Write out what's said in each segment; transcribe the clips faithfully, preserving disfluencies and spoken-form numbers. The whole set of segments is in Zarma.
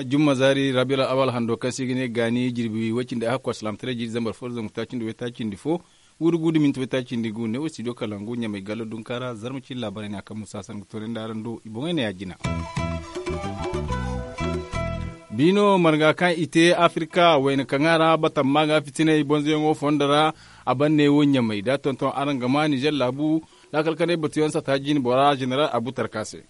Jumma zaari rabiul awal hando kaŋ se i ga ne gaani jirbi way cindi ahakku alsilaamataray jiiri zambar fo da zangu taaci nda way taaci nda fo, guuru guuru da minti way taaci nda gu ne wo studio kalangu ɲamay gallo dunka ra zarma cindi laabaray ne a kaŋ musa san ga toonandi araŋ do i boŋey ne ya jina. Biino marga kaŋ i te afirka wayna kaŋa ra batamma ga fitinay bonzoyaŋo fondo ra. A ban ne wo ɲamay da tonton araŋ ga ma nizer laabu laakal kanay batuyaŋ sata jine bora zeneral abu tarka se.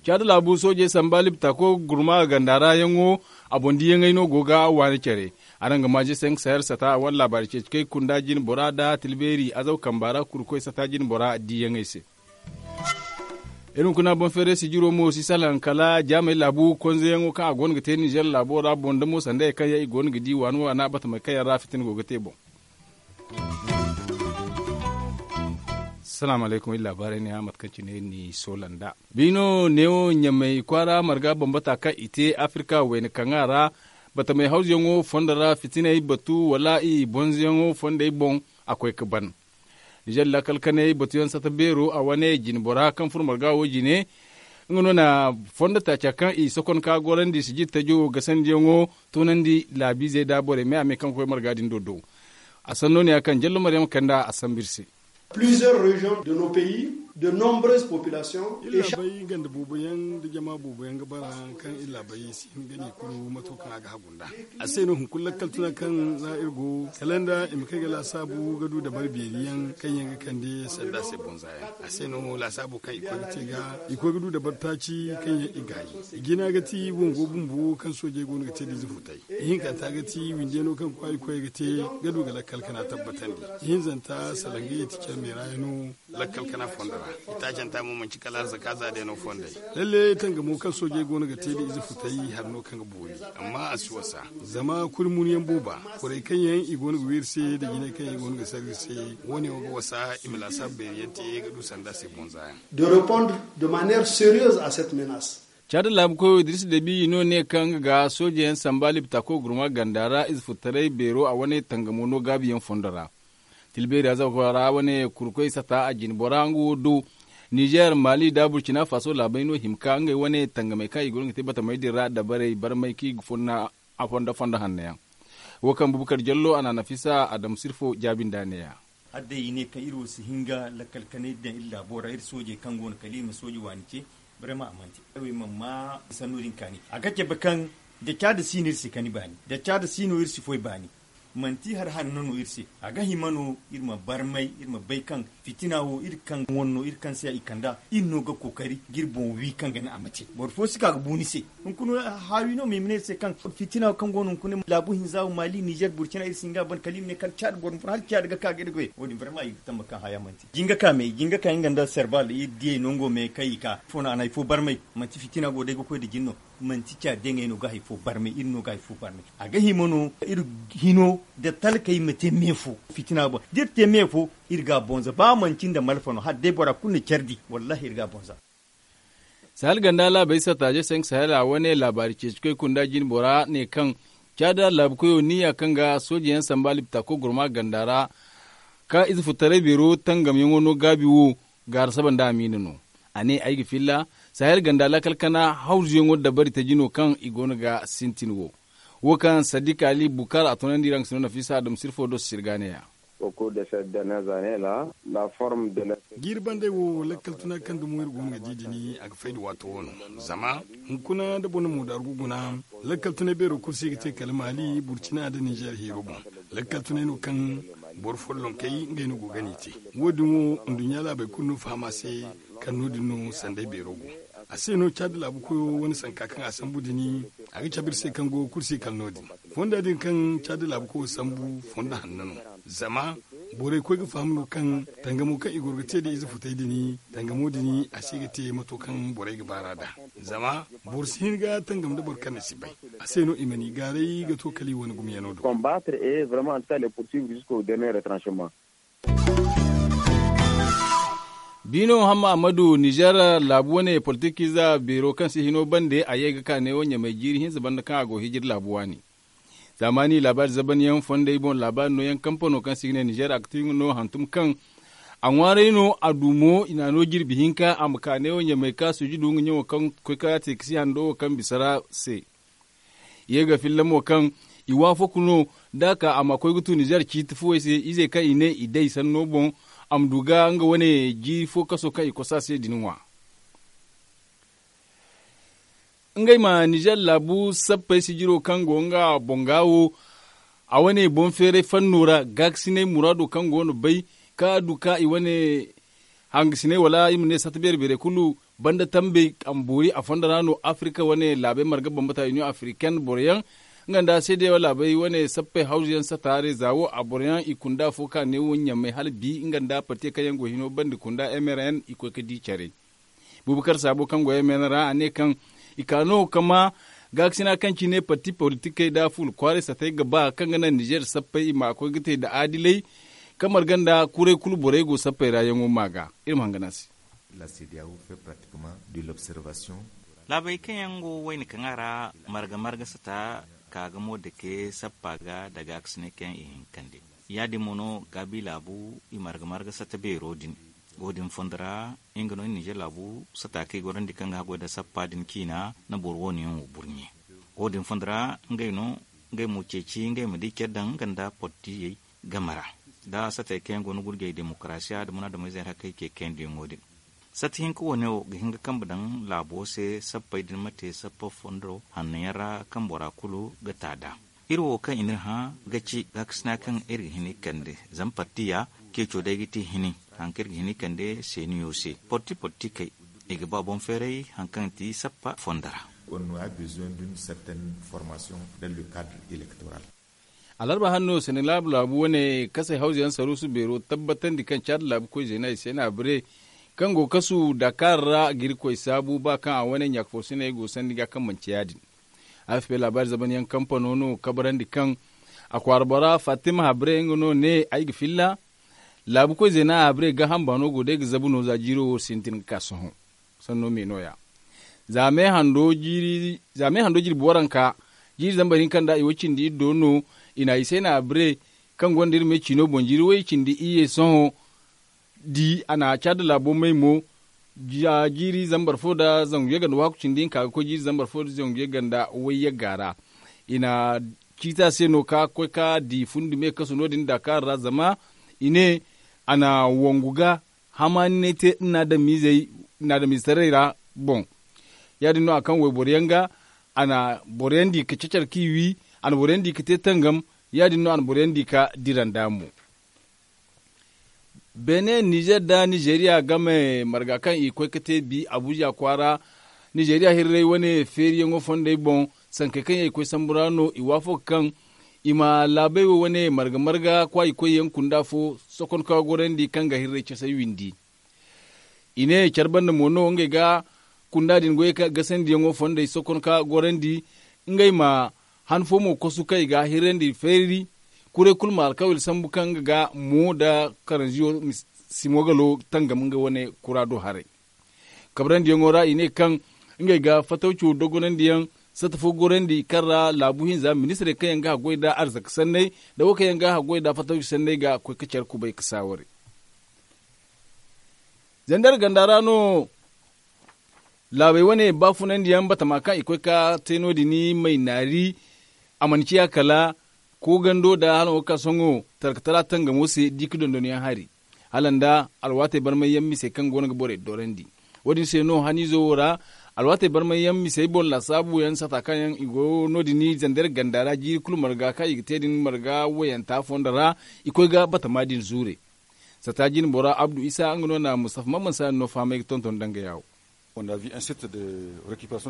Caada laabu soojey samba libtako gurma ganda ra yaŋo. A boŋ diyaŋey no go ga waani care. Araŋ ga maaje senk sahel sata a wane laabaari ceeci kay kunda jine bora da tilbeeri azaw kamba ra kurkoy sata jine bora diyaŋey se. Iri hunkuna boŋ feeray sijiro mo si salaŋ kala jaamey laabu konzeyaŋo kaŋ a goono ga te nizer laabo ra boŋ damo sanda ye kaŋ yaŋ i goono ga di waani waana batamey kaŋ yaŋ ra fitina go ga te boŋ. Salaamu alaykum iri laabaarey ne ya mate kaŋ cine iri n'i soola nd'a. Biino neewo ɲamay kwaara marga bambata kaŋ i te afirka wayna kaŋa ra batamey hawzuyaŋo fondo ra fitiney batu wala i bonzoyaŋo fondey boŋ. A koy ga ban nizer laakal kanay batuyaŋ sata beero a wane jine bora kaŋ furo marga wo jine. Nga no na fondo taaca kaŋ i sokon ka gorandi sijir tajo gasandiyaŋo toonandi laabiizey da borey me a me kaŋ ga koy marga din do do. A sanno ne ya kaŋ jallo maryama kanda a sambu iri se. Plusieurs régions de nos pays, de nombreuses populations. Iri laabey ganda booboyaŋ nda jama booboyaŋ ga bara kaŋ iri laabey si hin ga ne kulu mato kaŋ a ga hagu nd'a. A se no hunkuna lakkal tuna kaŋ ra iri go kala nda i ma kay ga laasaabu ga du dabari beeri yaŋ kaŋ yaŋ ga kande sanda se bonza yaŋ. A se no laasaabo kaŋ i koy ga te ga i koy ga du dabari taaci kaŋ yaŋ i gaayi. I jina ga ti wongo bumbo kaŋ soojey go no ga te da ize futay. Ihinkanta ga ti windiyano kaŋ kwaari koy ga te ga du ga lakkal kana tabbatandi. Ihinzanta salangayey ti care meera yaŋ no lakkal kana fondo ra. Itaacanta mo manci kala arzaka za day no fondey. Lalle tangamo kaŋ soojey go no ga te da ize futay hari no kaŋ ga boori. Amma a si wasa zama kuri munu yaŋ booba. Borey kaŋ yaŋ i go no ga wi iri se da jinay kaŋ yaŋ i go no ga sara iri se. Wo- ne wo ga wasa i ma laasaabu beeri yaŋ te ga du sanda se bonza yaŋ. De répondre de manière sérieuse à cette menace. Caada laabu koyo dirisa debi no ne kaŋ ga sooje yaŋ samba libta koy gurma ganda ra ize furtaray beero a wane tangamo no gaabi yaŋ fondo ra. Tilbeeri azawa ra wane kurkoy sata a jine bora nga wo do. Nizer mali da burkina faso laabey no hima ka ngey wane tangamey kaŋ i go no ga te batamey din ra dabarey barmay kaŋ i ga fonna a fondo fondo hanno yaŋ. Wo kaŋ bubakar jallo a na nafisa adamu sirfo jaabi nda ne- ya. Hala day i ne kaŋ iri wo si hin ga lakkal kanay daŋ iri laabo ra iri soojey kaŋ go no kala iri ma sooje waani ce. Barmay a mana te ay wo ay mana ma sanno din kaani a ga cabe kaŋ da caada si no iri se kani baani da caada si no iri si foy baani. Manti hari hanno no iri se. A ga hima no iri ma barmay iri ma bay kaŋ fitina wo iri kaŋ wane no iri kaŋ se i kand'a iri no ga kookari ga iri boŋ wi kaŋ ga naŋ a ma te boro fo si ka ga bu ni se. Hunkuna haawi no ma i ma ne iri se kaŋ fitina wo kaŋ go no hunkuna laabu hinza wo maali nizer burkina iri si hin ga a ban kala i ma ne kala caada boro ma fun hala caada ga ka ga iri goy wo- din barmay i ga tamba kaŋ haya manti jinga ka me jinga ka nga nda serbal iri diyey nango me kaŋ i ka ifo no a na hari fo barmay. Manti fitina go day ga koy nda jin no. Manti caadiyaŋey no ga hari fo barmay iri no ga hari fo barmay. A ga hima no iri hino nda talkey ma te me fo fitina boŋ da iri te me fo iri ga a bonza ba manti nda malfa no hala day bora kulu na care di wallahi iri ga a bonza. Sahel ganda laabey satta je senk sahel a wane laabaari ceeci koy kunda jine bora ne kaŋ caada laabu koyo niya kaŋ ga sooje yaŋ samba libta koy gurma ganda ra ka ize furtaray beero tangamyaŋo no gaabi wo. Gaara saba nda amiina no. A ne ay ga filla sahel ganda laakal kana hawzuyaŋo dabari taji no kaŋ i go no ga sintin wo. Wo kaŋ sadiq ali bukar a tunandi ra nga si no nafisa adamu sirfo do si sirga ne- ya. Jiiri bandey wo lakkal tuna kaŋ dumo iri go no ga di din a ga fay nda waato wo no. Zama hunkuna nda boro na moodaaru ga guna lakkal tunay beero kulu se ga te kala maali burcina nda ninzeer heero boŋ. Lakkal tunay no kaŋ boro follonkey ngey no go ga n'i te. Wo- din wo nduɲɲa laabey kulu no faham a se kaŋ no- din no sanday beero go. A se no caadi laabu koyo wane sanka kaŋ a sambu din a ga cabe iri se kaŋ go kulu se kala no- din. Fonda din kaŋ caadi laabu koyo sambu fondo hanno no. Zama borey koy ga faham no kaŋ tangamo kaŋ i goro ga te nda ize futey din tangamo din a si ga te mato kaŋ borey ga baar'a nd'a. Zama boro si hin ga tangam nda boro kaŋ ni si bay. A se no i ma n'i gaaray ga to kala i wane gumyano do. Biino hamma ammadu nizer laabu wane politik ize beero kaŋ si hino bande a ye ga ka neewo ɲamay jiiri hinza banda kaŋ a go hijiri laabu waani. Zaamaani laabaari zaban yaŋ fondey boŋ laabaari nooyaŋ kampano kaŋ se i ga ne nizer akti nga no hantum kaŋ a ŋwaaray no a du mo i n'a no jirbi hinka a ma ka neewo ɲamey ka suuji du nga ɲaŋo kaŋ koy ka te ka si hando wo kaŋ bisa ra se. I ye ga filla mo kaŋ i waafaku no da a ka a ma koy ga tu nizer ciiti fuwey se izey kaŋ i ne i day sanno boŋ a ma du ga nga wane jiiri fo kaso kaŋ i kosa se din ŋwa. Ngey ma nizer laabu sappey sijiro kaŋ go nga boŋ ga wo a wane boŋ feeray fanno ra gaakasinay muraado kaŋ go no bay ka du ka i wane hangasinay wala i ma ne satta beere beerey kulu banda tambey a ma boori a fondo ra no afirika wane laabey marga bambata union africaine boro yaŋ nga nda seedeyaŋ laabey wane sappey hawzu yaŋ sata reeza wo a boro yaŋ i kunda afo ka ne wo ɲamey hala bi nga nda parti kaŋ yaŋ go hino banda kunda mrn i koy ga di care. Bubakar saabo kaŋ go mrn ra a ne kaŋ i ka no ga ma gaakasina kaŋ cine parti politikey nda fuula kwaaray satey ga ba kaŋ ga naŋ nizer sappey i ma koy ga te nda aadilay kaŋ marga nda kuray kulu borey go sappey ra yaŋo ma ga iri ma hangan a se. Laabey kaŋ yaŋ go wayna kaŋ a ra marga marga sata ka ga mo dake sappa ga nda gaakasinay kaŋ yaŋ i hin ga kande ya- din mo no gaabi laabu i marga marga sata beero din. Wo- din fondo ra nga no nizer laabu sata kaŋ i gorandi kaŋ ga haggoy nda sappa din ciina na boro wo- ne yaŋ wo burɲe. Wo- din fondo ra ngey no ngey mo ceeci ngey ma di care daŋ nga nda portiyey game ra nda satey kaŋ yaŋ go no gurjey demokarasiya nda munaadameyzey hakkey ce kayandiyaŋo din. Sata hinka wane wo ga hin ga kambe daŋ laabo se sappey din ma te sappa fondo hanno yaŋ ra kaŋ bora kulu ga ta nd'a. Iri wo kaŋ i n'iri hã ga ci gaakasina kaŋ iri ga hin ga kande zama partiya ceeco day ga ti hini hari kaŋ iri ga hin ga kande seeniyo se porti porti kay i ga ba boŋ feeray hari kaŋ ga ti sappa fondo ra. Alarba hanno senegal laabu wane kasay hawza yaŋ saruusu beero tabbatandi kaŋ caada laabu koy zeena i se no a bire kaŋ go ga kasu dakar ra ga irkoy saabu ba kaŋ a wane ɲaaka foosiney go sandi ga kaŋ manci ya- din. Afp laabaari zaban yaŋ kampano no kabrandi kaŋ a kwaara bora fatima habre nga no ne ay ga filla laabu koy zeena habre gaaham baano go day ga zabu no za jiiro wo sintin ga ka sohõ. Sanno me no- ya za me hando jirbi waranka jiiri zambar hinka nda i wo cindi iri do no i na i se na abire kaŋ gonda iri me ciino boŋ jiiri way cindi iyye sohõ di a na caada laabo may mo jiiri zambar fo nda zangu yagga nda waaku cindi hinka ga koy jiiri zambar fo nda zangu yagga nda way yagga ra. I na ciiti a se no ka koy ka di fundi me kasu no- din dakar ra zama i ne a na wangu ga hamaani n'ay te nda ni adamiizey ni adamiizetaray ra boŋ. Ya- din no a kaŋ wayboro yaŋ ga a na boro yaŋ di ka cacar k'i wi a na boro yaŋ di ka te tangam. Ya- din no a na boro yaŋ di ka dira nd'a mo. Beene nizer nda nizeriya game marga kaŋ i koy ga te bi abuza kwaara nizeriya hirray wane feeriyaŋo fondey boŋ sankey kaŋ yaŋ i koy sambu ra no i waafaka kaŋ i ma laabey wo wane marga marga kwaayi koyyaŋ kunda fo sokonka gorandi kaŋ ga hirray casay windi. I ne care banda mo no ngey ga kunda din goyey kaŋ gasandiyaŋo fondey sokonka gorandi ngey ma han fo mo kosu kaŋ i ga a hirrandi feeri. Kuray kulu ma alkawil sambu kaŋ nga ga mo nda karanziyo simo galo tangam nga wane kura do haray. Kabrandiyaŋo ra i ne kaŋ ngey ga fatawco dogonandiyaŋ satta fo gorandi kaŋ ra laabu hinza ministirey kaŋ yaŋ ga haggoy nda arzaka sanney nda wo kaŋ yaŋ ga haggoy nda fatawco sanney ga koy ga care kubay ga saaware. Zandar ganda ra no laabey wane baafunandiyaŋ batama kaŋ i koy ga te no- din may naari. A mana ciya kala koogando nda hala wo ga ka sohõ tarkatara tangamo se di ga dondonyaŋ hari hala nda alwaatey barmayyaŋ misey kaŋ go no ga borey dorandi. Wo- din se no haniizo wo ra alwaatey barmayyaŋ misey boŋ laasaabuyaŋ sata kaŋ yaŋ i go no- din zandar ganda ra jiiri kulu marga kaŋ i ga te din marga wayanta fondo ra i koy ga batama din zuure. Sata jine bora abdu isa nga no na mustafa mamman saani no fahamay ga tonton dangaya wo.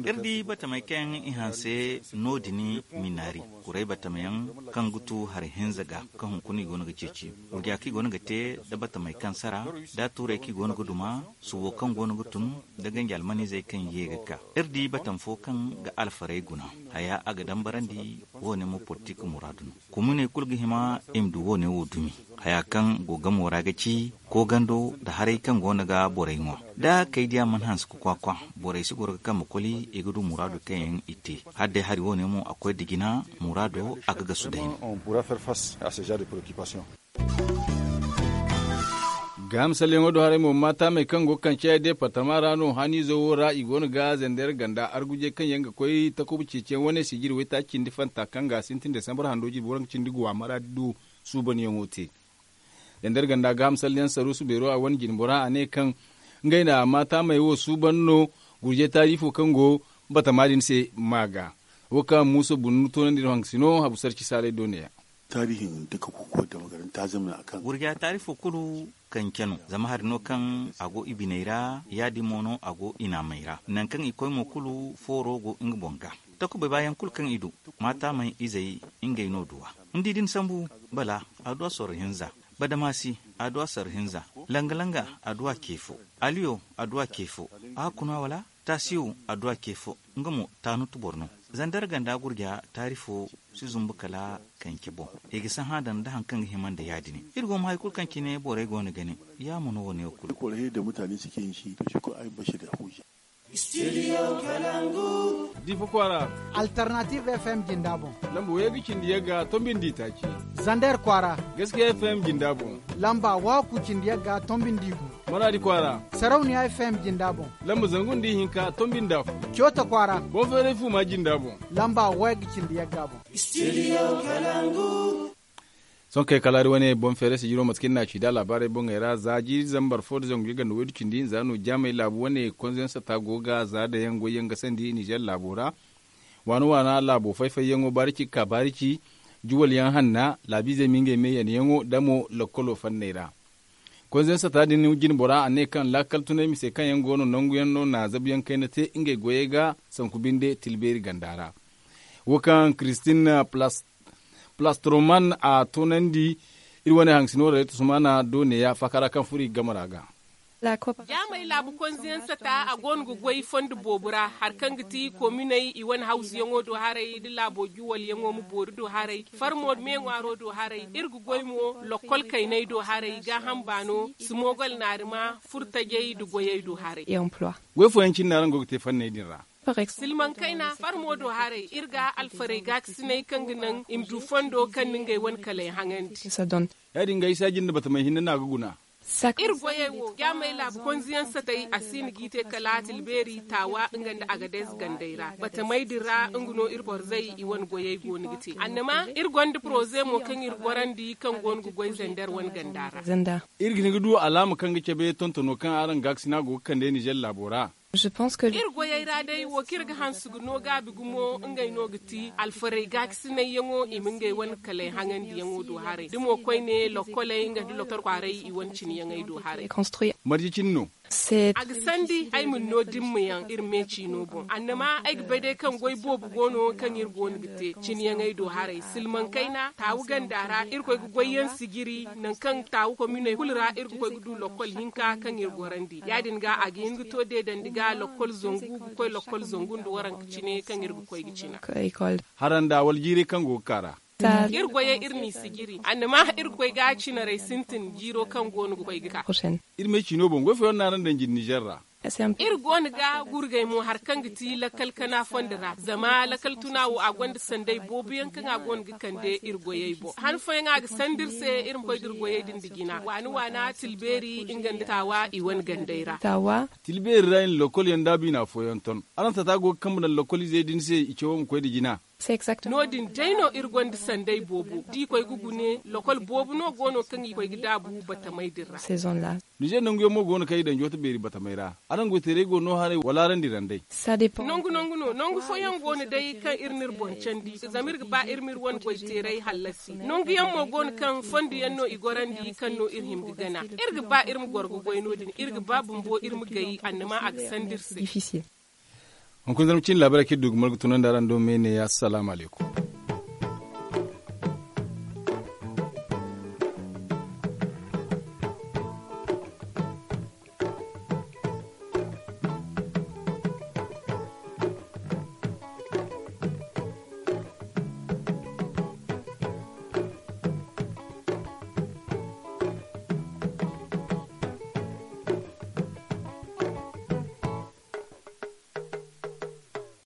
Iri di batamey kaŋ i hanse no- din minaari kuray batamayaŋ kaŋ ga tu hari hinza ga kaŋ hunkuna i go no ga ceeci wurja kaŋ i go no ga te nda batamey kaŋ sara nda tuurey kaŋ i go no ga duma subo kaŋ go no ga tun nda ganji almanizey kaŋ ye ga ka. Iri di batam fo kaŋ ga alfarey guna haya a ga dambarandi wo- ne mo politik muraadu no. Kumuney kulu ga hima i ma du wo- ne wo dumi haya kaŋ go gamo ra ga ci Koogando nda haray kaŋ go no ga borey ŋwa, da kay diya mana hanse ga kwaakwa, borey si goro ga kambe koli i ga du muraado kaŋ yaŋ i te. Hala day hari wo- ne mo a koy nda jina muraado a ga gasu day no. Gaaham salyaŋo do haray mo maataamey kaŋ go ga kaŋ cayey deepartama ra no haniizo wo ra i go no ga zender ganda argujey kaŋ yaŋ ga koy takuba ceeciyaŋ wane sijiri waytaaci cindi fanta kaŋ ga sintin desambar hando jirbi waranka cindi guwa maraadi du suubanyaŋo te. Zender ganda gaaham salyaŋ saruusu beero a wane jinbora a ne kaŋ ngey na maataamey wo suuban no gurjey taarifo kaŋ go batama din se ma ga. Wo kaŋ muusa bunnu toonandi no hankasino habu sarci saalay do ne ya. Gurja taarifo kulu kance no zama hari no kaŋ a go i biney ra ya- din mo no a go i naamey ra nangu kaŋ i koy mo kulu fooro go nga boŋ ga. Takubey baayaŋ kulu kaŋ i du maataamey izey ngey no du a. Ni di da ni sambu, bala a du a sorro hinza, badamasi a du a sorro hinza, langa-langa a du a ce fo, aliyo a du a ce fo, a kuna wala taasiyo a du a ce fo. Nga mo taanutu boro no. Zandar ganda gurja taarifo si zumbu kala kance boŋ. I ga sahã daŋ nda hari kaŋ ga hima nda ya- din. Iri go ma hari kulu kaŋ cine borey go no ga ne. Ya mo no wo- ne wo kulu. Difa kwaara. Alternative f m jinda boŋ. Lamba wayey ga cindi yagga tombindi taaci. Zander kwaara. Gaskiya f m jinda boŋ. Lamba waaku cindi yagga tombindi gu. Maraadi kwaara. Sarauniya f m jinda boŋ. Lamba zangu nda ihinka tombindi afo. Coota kwaara. Boŋ feeray fuuma jinda boŋ. Lamba wayey ga cindi yagga boŋ. Sohõ kay kala hari wane boŋ feere sijiro mate kaŋ iri n'a ci da laabaarey boŋey ra za jiiri zambar fo nda zangu yagga nda waydu cindi hinza no jaamey laabu wane konzo yaŋ sata go ga za daŋ yaŋ goy yaŋ ga sandi nizer laabo ra. Waana waana laabo fay-fayyaŋo baarici ga ka baarici juwal yaŋ hanna laabiizey ma ngey me yanayaŋo damo lokkolo fanney ra. Konzo yaŋ sata din jine bora a ne kaŋ laakal tunay mise kaŋ yaŋ go no nangu yaŋ no na zabu yaŋ kayna te ngey goyey ga sanku binde tilbeeri ganda ra. Wo kaŋ kiristin plastroman a toonandi iri wane haŋsino raytu sumana do neeya faakara kaŋ furo i ga game ra ga. Jaamey laabu konziyaŋ sata a go no ga goy fondo boobo ra hari kaŋ ga ti kominey i wane hawzuyaŋo do haray nda laabo juwalyaŋo ma boori do haray farmo meeŋwaaro do haray iri ga goy mo lokkol kaynay do haray gaaham baano simogol naarima furtajey nda goyey do haray. Goy fooyaŋ cine no araŋ go ga te fanney din ra. Silmaŋ kayna farmo do haray iri ga alfarey gaakasinay kaŋ ga naŋ i ma du fondo kaŋ na ngey wane kaley haŋandi. Ya- din ga isa jinde batamey hinne no a ga guna. Iri goyey wo jaamey laabu konziyaŋ satay a si na g'i te kala tilbeeri taawa nga nda agades gandey ra batamey din ra nga no iri borzey i wane goyey go no ga te annama iri gonda poroze mo kaŋ iri gorandi kaŋ go no ga goy zander wane ganda ra. Iri ga hin ga du alaama kaŋ ga cabe tontono kaŋ araŋ gaakasina go ga kande nizer laabo ra. Iri goyey ra day wo kaŋ iri ga hanse ga no gaabi gumo ngey no ga ti alfarey gaakasinayyaŋo i ma ngey wane kaley haŋandiyaŋo do haray da mo koyne lokkoley nga nda loktor kwaaray i wane ciniyaŋey do haray. Marje cine no? A ga sandi ay ma ni no dimmayaŋ iri me ciino boŋ annama ay ga bay day kaŋ goy boobo go no kaŋ iri go no ga te ciniyaŋey do haray silmaŋ kayna taawu ganda ra iri koy ga goyyaŋ sijiri nangu kaŋ taawu kominey kulu ra iri ga koy ga du lokkol hinka kaŋ iri gorandi ya- din ga a ga hin ga to deedandi ga lokkol zangu ga koy lokkol zangu nda waranka cine kaŋ iri ga koy ga cina. Haranda wala jiirey kaŋ go ga kaa ra. Iri goyey iri n'i sijiri annama iri ga koy ga cinarey sintin jiiro kaŋ go no ga koy ga kaa. Iri me ciino boŋ goy fooyaŋ no araŋ daŋ jine nizer ra. Iri go no ga gurgay mo hari kaŋ ga ti lakkal kana fondo ra zama lakkal tuna wo a gonda sanday booboyaŋ kaŋ a go no ga kande iri goyey boŋ han fooyaŋ a ga sanda iri se iri ma koy ga iri goyey din da jina waana waana tilbeeri nga nda taawa i wane gandey ra. Tilbeeri ra i na lokkol yaŋ daabu i na afooyaŋ ton araŋ tata go ga kambe daŋ lokkol izey din se i cawo ma koy nda jina. No- din day no iri gonda sanday boobo da i koy ga gune lokkol boobo no go no kaŋ i koy ga daabu batamey din ra. Nizer nanguyaŋ mo go no kaŋ i daŋ joota beeri batamey ra. Araŋ goyteerey go no haray wala araŋ diraŋ day? Nangu nangu no nangu fooyaŋ go no day kaŋ iri n'iri boŋ candi zama iri ga ba iri m'iri wane goyteerey hallasi nanguyaŋ mo go no kaŋ fondo yaŋ no i gorandi kaŋ no iri hima ga gana iri ga ba iri ma goro ga goy no- din iri ga ba bumbo iri ma gay annama a ga sanda iri se. Hunkuna zarma cine laabaarey kaŋ iri du ga margu tunandi araŋ do me ne ya salaamu alaykum.